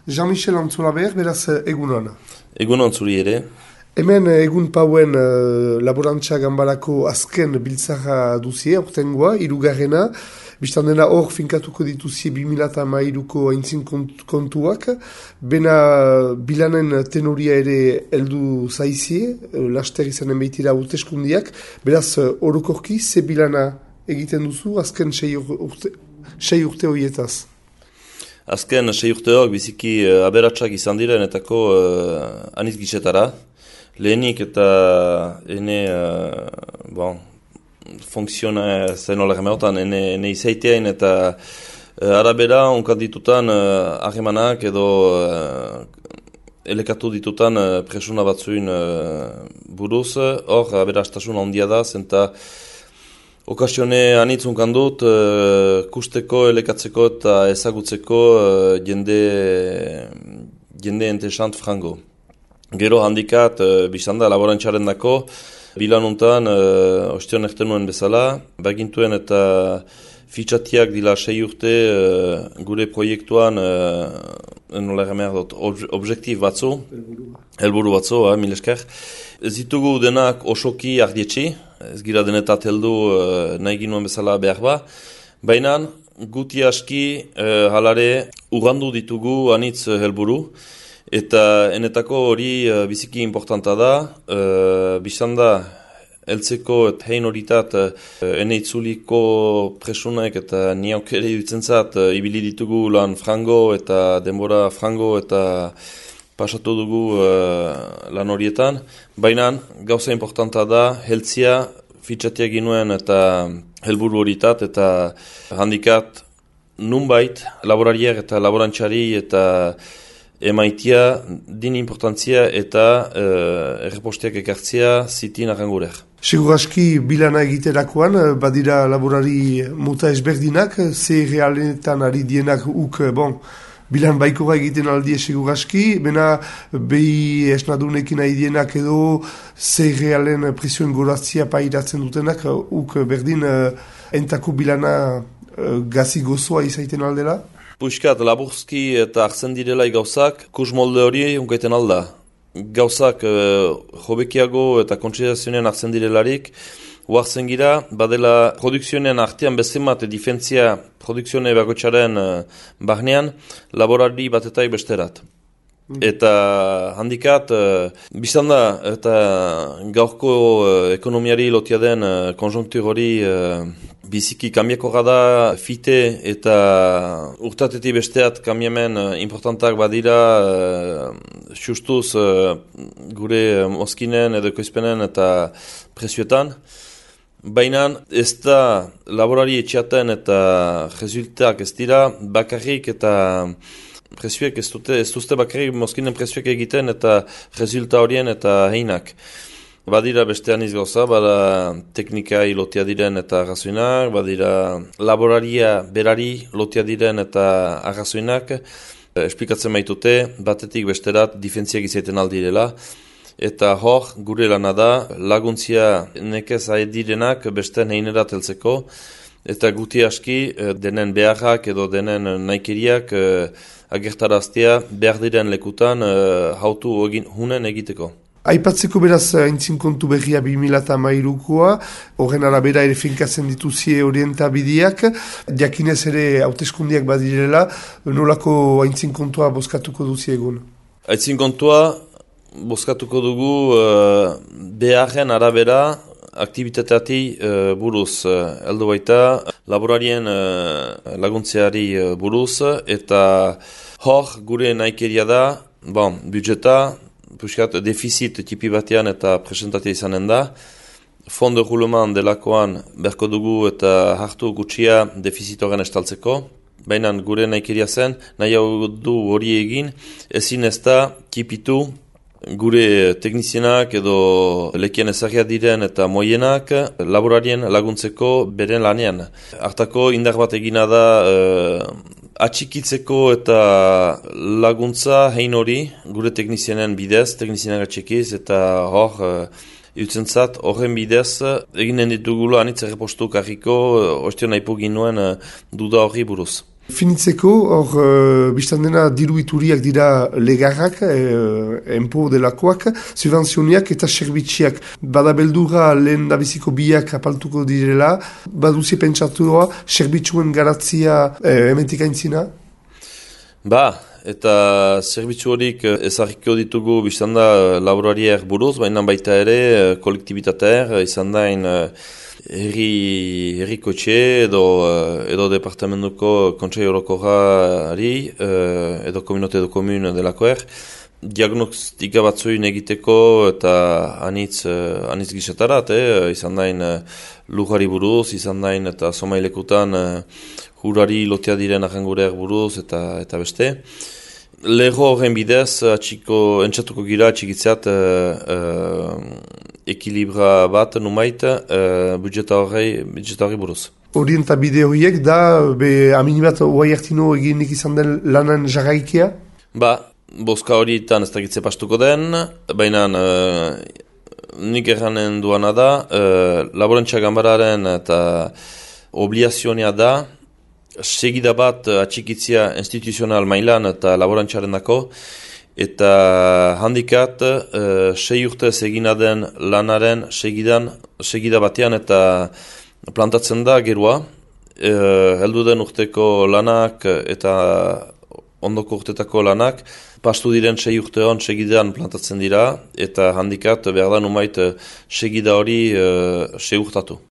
Jean-Michel Antzolaber, beraz egunon. Egunon zuri ere. Hemen egun pauen laborantza ganbarako azken biltzara duzie, aurtengoa, hirugarrena. Bistan dena hor finkatuko dituzie 2013ko aintzin kontuak. Bena bilanen tenoria ere heldu zaizie, laster izanen behitira hauteskundiak. Beraz, orokorki, ze bilana egiten duzu azken 6 urte horietaz? Azken 6 urteok biziki aberatsak izan direnetako anitz gizetara. Lehenik eta ene fonkziona zen ola gemeotan, ene izaiteain eta arabera onkat ditutan ahemanak edo elekatu ditutan presuna batzuin buruz. Hor, aberastasun handia da, zenta okasione anitzunkan dut, kusteko, elekatzeko eta ezagutzeko jende entesant frango. Gero handikat, bizan da, laborantxaren dako, bilanuntan, ostion ertenuen bezala, bagintuen eta fitxatiak dila 6 urte gure proiektuan, nola gamer dut, objektif batzu, helburu batzu, mil esker. Ez ditugu denak osoki ardietxi, ez gira denetat heldu nahi ginuen bezala behar ba, baina guti aski halare ugandu ditugu anitz helburu, eta enetako hori biziki importanta da, bizan da, heltzeko eta hein horitat ene itzuliko presunek eta niauk ere dutzen ibili ditugu lan frango eta denbora frango eta pasatu dugu lan horietan. Baina gauza importanta da heltzia fitxatia ginuen eta helburu horitat eta handikat nunbait laborariak eta laborantxari eta emaitia din importantzia eta erreposteak ekartzia zitin arrangurer. Segur aski bilana egiterakoan, badira laborari muta ezberdinak, ze realetan ari dienak bilan baikora egiten aldie segur aski, bena behi esnadunekin ari dienak edo ze realen presioen gorazia pairatzen dutenak, berdin entako bilana gazi gozoa izaiten aldela? Puiskat, laburzki eta hartzen direlai gauzak, kus molde hori unkaiten alda. Gauzak jobekiago eta kontsidazioen hartzen direlarik, huartzen gira, badela produkzioen artean bezemat difentzia produkzione bagotxaren bahnean, laborari batetai besterat. Eta handikat, biztan da, eta gaurko ekonomiari lotia den konjunktur hori biziki kambiako gada fite eta urtatetik besteat kambiamen importantak badira justuz gure moskinen edo ekoizpenen eta presioetan. Baina ez da laborari etxeaten eta resultak ez dira bakarrik eta presioek ez duzte bakarrik moskinen presioek egiten eta resulta horien eta heinak. Badira beste aniz gauza, bada teknikai lotia diren eta arrazoinak, badira laboraria berari lotia diren eta arrazoinak, esplikatzen baitute, batetik besterat difentziak izaiten aldirela, eta hor gure lana da laguntzia nekez direnak beste heinerat heltzeko, eta guti aski denen beharrak edo denen naikeriak agertaraztea behar diren lekutan hautu hunen egiteko. Aipatzeko beraz aintzin kontu berria 2013koa, horren arabera ere finkatzen dituzie orientabideak, jakinez ere hauteskundiak badirela, nolako aintzin kontua bozkatuko duzi egun? Aintzin kontua bozkatuko dugu beharren arabera aktivitateati buruz, heldu baita laborarien laguntzeari buruz, eta hor gure naikeria da, budjeta, puskat defizit tipi batean eta presentatia izanen da. Fond de roulement delakoan berko dugu eta hartu gutxia defizitoren estaltzeko. Baina gure naikeria zen, nahi hau du hori egin, ezin ez da tipitu gure teknizienak edo lekien ezagia diren eta moienak laborarien laguntzeko beren lanean. Hartako indar bat egina da atxikitzeko eta laguntza hein hori gure teknizienen bidez, teknizienak atxikiz eta hor Iutzentzat, horren bidez, eginen ditugula anitz errepostu karriko, ostion aipu ginuen duda horri buruz. Finitzeko, hor, biztan dena diru ituriak dira legarrak, enpo delakoak, subvenzioniak eta serbitziak. Bada beldurra lehen dabiziko biak apaltuko direla, baduzi pentsatua serbitzuen garatzia ementik aintzina? Eta zerbitzu horik ezagiko ditugu biztan da laborariak buruz, baina baita ere kolektibitateak, izan dain herrikotxe edo departamentuko kontsei orokorrari edo kominote edo komun delakoer, diagnostika batzuin egiteko eta anitz gisatarat, izan dain lujari buruz, izan dain eta somailekutan hurari lotea diren ahangureak buruz eta beste. Lego horren bidez, entzatuko gira atxikitzeat ekilibra bat numait budjeta horri buruz. Orienta bide horiek da, aminibat oai hartino eginik izan den lanan jarraikia? Bozka horietan ez dakitze pastuko den, baina nik erranen duana da, laborantza gambararen eta obliazionia da, segida bat atxikitzia instituzional mailan eta laborantzaren dako, eta handikat 6 urtez egina den lanaren segida batean eta plantatzen da gerua, heldu den urteko lanak eta ondoko urtetako lanak, pastu diren 6 urtean segidan plantatzen dira, eta handikat behar da numait segida hori segurtatu.